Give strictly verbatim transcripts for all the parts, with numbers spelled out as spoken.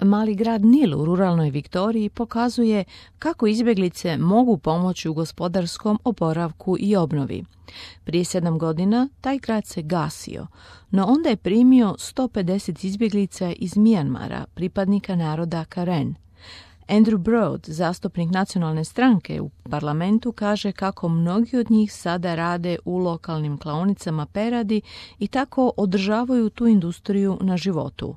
Mali grad Nil u ruralnoj Viktoriji pokazuje kako izbjeglice mogu pomoći u gospodarskom oporavku i obnovi. Prije sedam godina taj grad se gasio, no onda je primio sto pedeset izbjeglica iz Mijanmara, pripadnika naroda Karen. Andrew Broad, zastupnik nacionalne stranke u parlamentu, kaže kako mnogi od njih sada rade u lokalnim klaonicama peradi i tako održavaju tu industriju na životu.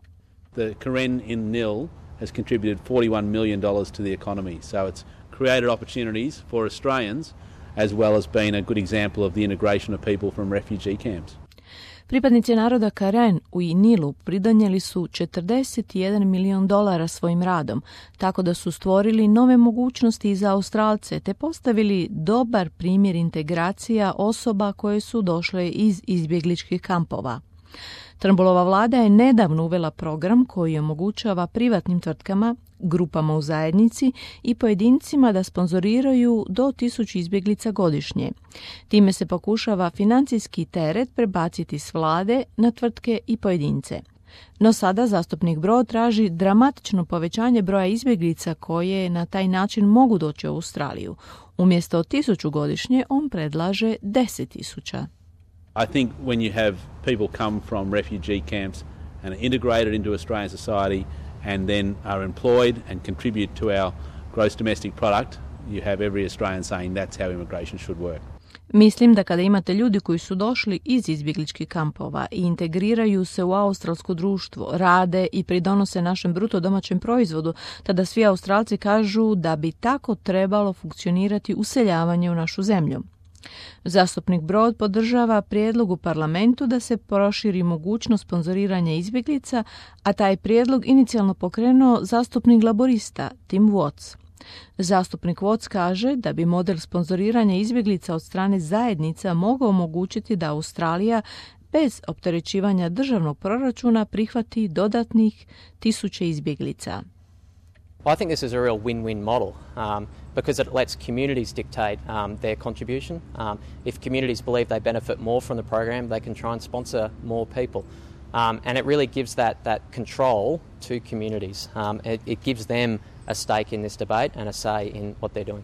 The Karen in Nil has contributed forty-one million dollars to the economy, so it's created opportunities for Australians as well as being a good example of the integration of people from refugee camps. Pripadnici naroda Karen u Nilu pridonijeli su četrdeset jedan milion dolara svojim radom, tako da su stvorili nove mogućnosti za Australce te postavili dobar primjer integracija osoba koje su došle iz izbjegličkih kampova. Trumbullova vlada je nedavno uvela program koji omogućava privatnim tvrtkama, grupama u zajednici i pojedincima da sponzoriraju do tisuću izbjeglica godišnje. Time se pokušava financijski teret prebaciti s vlade na tvrtke i pojedince. No sada zastupnik Broad traži dramatično povećanje broja izbjeglica koje na taj način mogu doći u Australiju. Umjesto tisuću godišnje on predlaže deset tisuća. I think when you have people come from refugee camps and are integrated into Australian society and then are employed and contribute to our gross domestic product, you have every Australian saying that's how immigration should work. Mislim da kada imate ljudi koji su došli iz izbjegličkih kampova i integriraju se u australsko društvo, rade i pridonose našem bruto domaćem proizvodu, tada svi Australci kažu da bi tako trebalo funkcionirati useljavanje u našu zemlju. Zastupnik Broad podržava prijedlog u parlamentu da se proširi mogućnost sponzoriranja izbjeglica, a taj prijedlog inicijalno pokrenuo zastupnik laborista Tim Watts. Zastupnik Watts kaže da bi model sponzoriranja izbjeglica od strane zajednica mogao omogućiti da Australija bez opterećivanja državnog proračuna prihvati dodatnih tisuće izbjeglica. I think this is a real win-win model um, because it lets communities dictate um, their contribution. Um, if communities believe they benefit more from the program, they can try and sponsor more people. Um, and it really gives that, that control to communities. Um, it, it gives them a stake in this debate and a say in what they're doing.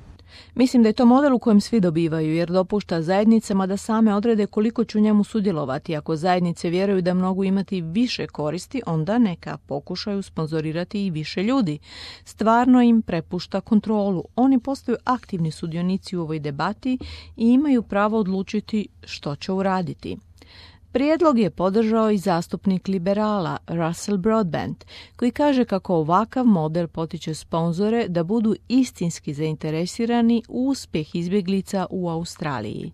Mislim da je to model u kojem svi dobivaju, jer dopušta zajednicama da same odrede koliko će u njemu sudjelovati. Ako zajednice vjeruju da mogu imati više koristi, onda neka pokušaju sponzorirati i više ljudi. Stvarno im prepušta kontrolu. Oni postaju aktivni sudionici u ovoj debati i imaju pravo odlučiti što će uraditi. Prijedlog je podržao i zastupnik liberala Russell Broadbent, koji kaže kako ovakav model potiče sponzore da budu istinski zainteresirani u uspjeh izbjeglica u Australiji.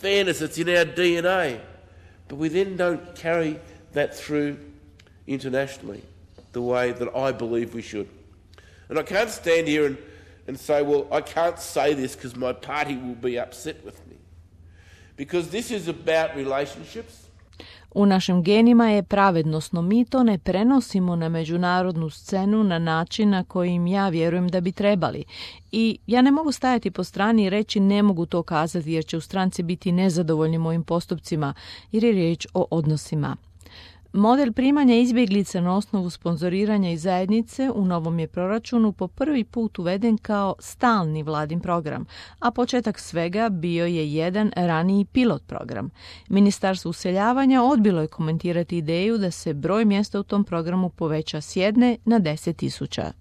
Fairness, it's in our D N A, but we then don't carry that through internationally the way that I believe we should. And I can't stand here and, and say, well, I can't say this because my party will be upset with me. Because this is about relationships. U našim genima je pravednost, no mi to ne prenosimo na međunarodnu scenu na način na kojim ja vjerujem da bi trebali. I ja ne mogu stajati po strani i reći ne mogu to kazati jer će u stranci biti nezadovoljni mojim postupcima jer je riječ o odnosima. Model primanja izbjeglica na osnovu sponzoriranja iz zajednice u novom je proračunu po prvi put uveden kao stalni vladin program, a početak svega bio je jedan raniji pilot program. Ministarstvo useljavanja odbilo je komentirati ideju da se broj mjesta u tom programu poveća s jedne na deset tisuća.